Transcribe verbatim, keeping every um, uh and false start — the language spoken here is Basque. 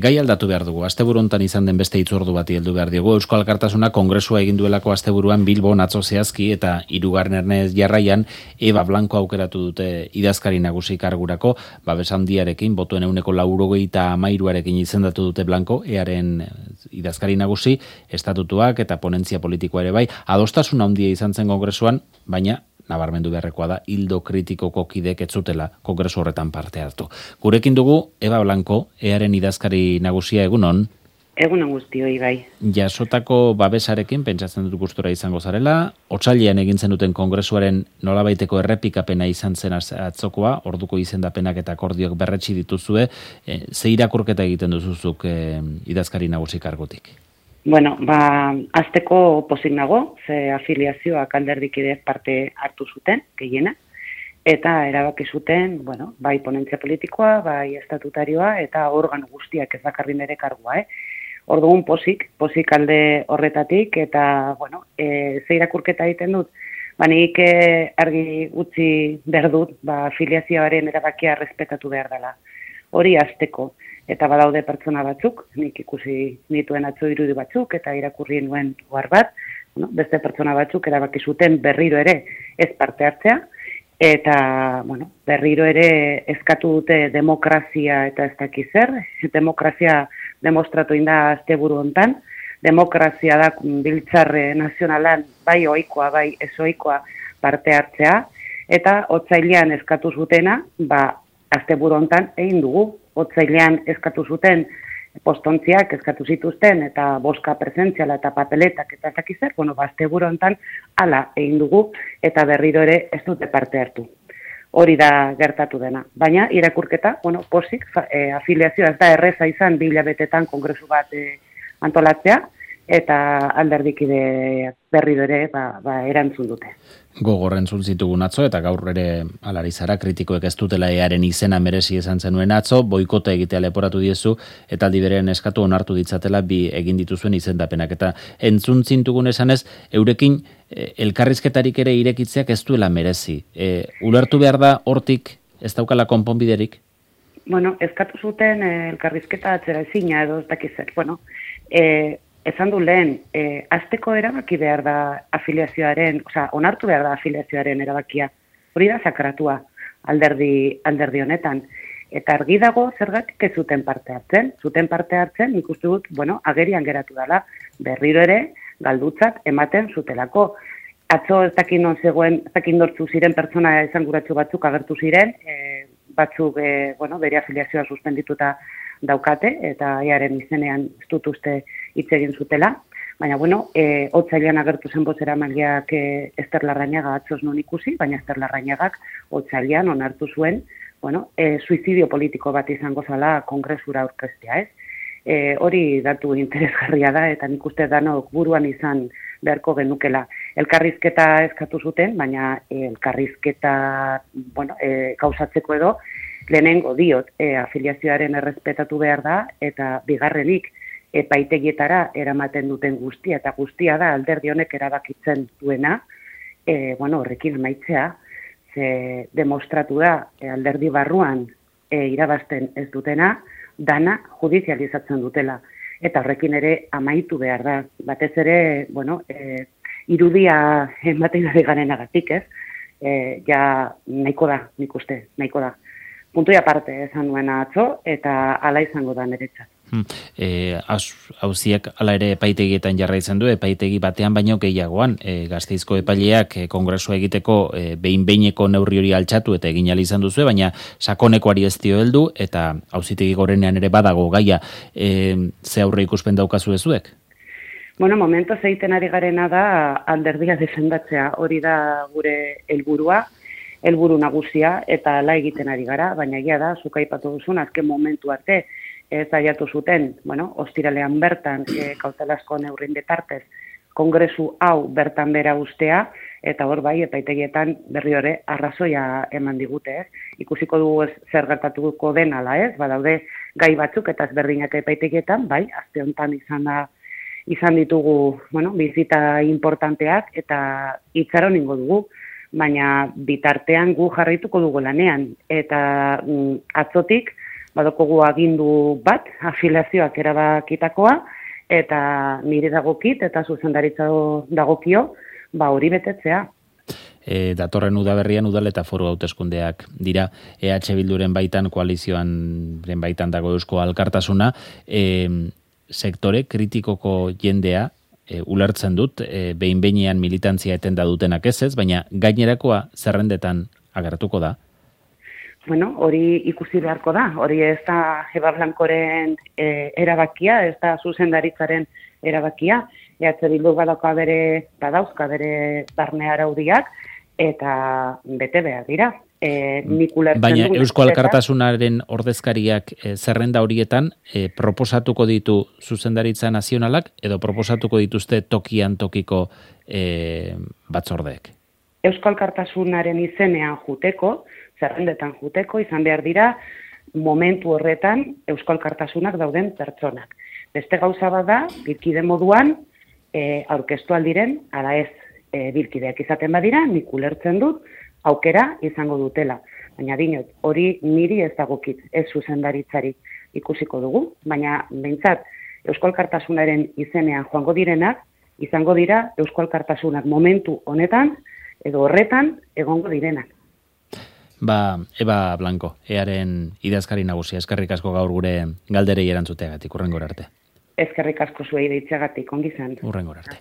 Gai aldatu behar dugu, asteburu hontan izan den beste hitzordu bati heldu behar diogu. Eusko Alkartasuna kongresua egin duelako asteburuan Bilbon atzo zehazki eta hirugarren ernez jarraian Eva Blanco aukeratu dute idazkari nagusi kargurako, babes handiarekin, botuen ehuneko laurogeita hamairuarekin izendatu dute Blanco, earen idazkari nagusi, estatutuak eta ponentzia politikoa ere bai, adostasun handia izan zen kongresuan, baina nabarmendu beharrekoa da, hildo kritikoko kidek ez zutela kongresu horretan parte hartu. Gurekin dugu, Eva Blanco, earen idazkari nagusia, egunon? Egunon guztioi bai. Jasotako babesarekin, pentsatzen dut gustura izango zarela, otsailean egin zenuten kongresuaren nolabaiteko errepikapena izan zen atzokoa, orduko izendapenak eta akordiok berretsi dituzue, e, ze irakurketa egiten duzuzuk e, idazkari nagusi kargutik? Bueno, ba, azteko pozik nago, ze afiliazioak alderdikidez parte hartu zuten, gehiena, eta erabaki zuten, bueno, bai ponentzia politikoa, bai estatutarioa, eta organo guztiak ez bakarri nere kargua, eh? Orduan pozik, pozik alde horretatik, eta, bueno, e, ze irakurketa egiten dut, ba, nik argi utzi behar dut, ba, afiliazioaren erabakia respetatu behar dela. Hori azteko. Eta badaude pertsona batzuk, nik ikusi nituen atzo irudi batzuk, eta irakurri nuen ohar bat, bueno, beste pertsona batzuk erabaki zuten berriro ere ez parte hartzea, eta bueno, berriro ere eskatu dute demokrazia eta ez dakiz zer, demokrazia demostratu inda asteburu hontan, demokrazia da biltzarre nazionalan bai ohikoa, bai ez ohikoa parte hartzea, eta otsailean eskatu zutena, ba, asteburu hontan egin dugu. Otsailean eskatu zuten postontziak eskatu zituzten eta boska presentziala eta papeletak eta zakizar, bueno, asteburu hontan hala egin dugu eta berriro ere ez dute parte hartu. Hori da gertatu dena. Baina irakurketa, bueno, posik, e, afiliazioa ez da erreza izan bi hilabetetan kongresu bat e, antolatzea eta alderdikide berriro ere ba, ba, erantzun dute. Gogor entzun zitugun atzo, eta gaur ere alari zara, kritikoek ez dutela earen izena merezi esan zenuen atzo, boikota egitea leporatu diezu, eta aldi berean eskatu onartu ditzatela bi egin dituzuen izendapenak. Eta entzun zintugun esanez, eurekin e, elkarrizketarik ere irekitzeak ez duela merezi. E, ulertu behar da hortik ez daukala konponbiderik? Bueno, eskatu zuten e, elkarrizketa atzera ezina edo ez dakizet. Bueno, e, esan du lehen, e, azteko erabaki behar da afiliazioaren, oza, onartu behar da afiliazioaren erabakia. Hori da sakratua alderdi, alderdi honetan. Eta argi dago zergatik ez zuten parte hartzen. Zuten parte hartzen, ikustu dut, bueno, agerian geratu dela, berriro ere, galdutzat ematen zutelako. Atzo ez dakin non zegoen, ez dakin dortzu ziren pertsona esanguratsu batzuk agertu ziren, e, batzuk, e, bueno, bere afiliazioa suspendituta daukate, eta earen izenean ez dut uste hitz egin zutela. Baina, bueno, e, otsailean agertu zen bozera maileak e, Ester Larrañaga atzoz non ikusi, baina Ester Larrañagak otsailean onartu zuen, bueno, e, suizidio politiko bat izango zala kongresura aurkeztea, ez? E, hori datu interesgarria da, eta nik uste danok buruan izan beharko genukela. Elkarrizketa eskatu zuten, baina e, elkarrizketa, bueno, e, gauzatzeko edo, lehenengo diot, e, afiliazioaren errespetatu behar da, eta bigarrenik, epaitegietara eramaten duten guztia, eta guztia da alderdi honek erabakitzen duena, e, bueno, horrekin amaitzea, ze demostratu da e, alderdi barruan e, irabazten ez dutena, dana judizializatzen dutela. Eta horrekin ere amaitu behar da. Batez ere, bueno, e, irudia ematen ari garenagatik, ez? E, ja, nahiko da, nik uste, nahiko da. Puntu aparte esan nuena atzo, eta hala izango da niretzat. Hmm. E, Auziak hala ere epaitegietan jarraitzen du, epaitegi batean baino gehiagoan, e, Gasteizko epaileak e, kongresua egiteko e, behin-behineko neurri hori altxatu eta egin ahal izan duzu, baina sakonekoari ez dio heldu, eta auzitegi gorenean ere badago gaia, e, ze aurre ikuspen daukazu ezuek? Bueno, momento zeiten ari garena da alderdia defendatzea, hori da gure helburua, helburu nagusia, eta ala egiten ari gara, baina egia da, zuk aipatu duzun, azken momentu arte, ez aiatu zuten, bueno, ostiralean bertan, e, kautelazko neurrin bitartez, kongresu hau bertan bera ustea, eta hor bai, epaitegietan berri hori arrazoia eman digute, ez? Ikusiko dugu ez, zer gertatuko den ala, ez? Badaude gai batzuk eta ezberdinak epaitegietan, bai, aste honetan izan da, izan ditugu, bueno, bizita importanteak, eta itxaron ingo dugu, baina bitartean gu jarraituko dugu lanean, eta mm, atzotik, badokogu agindu bat, afiliazioak erabakitakoa, eta nire dagokit, eta zuzendaritza dagokio, ba hori betetzea. E, datorren udaberrian udal eta foru hauteskundeak dira, E H Bilduren baitan, koalizioan baitan dago Eusko Alkartasuna, e, sektore kritikoko jendea, e, ulertzen dut, e, behin-behinean militantzia etenda dutenak ez ez, baina gainerakoa zerrendetan agertuko da? Bueno, hori ikusi beharko da, hori ez da Eba Blancoren e, erabakia, ez da zuzendaritzaren erabakia, E H Bildu badauka bere, badauzka bere barne araudiak, eta bete behar dira. E, nik ulertzen Baina du, Eusko Alkartasunaren ordezkariak e, zerrenda horietan e, proposatuko ditu zuzendaritza nazionalak edo proposatuko dituzte tokian tokiko e, batzordeek? Eusko Alkartasunaren izenean juteko, zerrendetan juteko, izan behar dira momentu horretan Eusko Alkartasunak dauden pertsonak. Beste gauza bada, bilkide moduan, e, aurkeztu aldiren, ala ez e, bilkideak izaten badira, nik ulertzen dut, aukera izango dutela. Baina dinot, hori niri ez dagokit, ez zuzendaritzarik ikusiko dugu, baina behintzat Eusko Alkartasunaren izenean joango direnak, izango dira Eusko Alkartasunak momentu honetan, edo horretan egongo direnak. Ba, Eba Blanco, earen idazkari nagusia, eskerrik asko gaur gure galderei erantzuteagatik, urrengora arte. Eskerrik asko zuei deitzeagatik, ongi zen. Urrengora arte.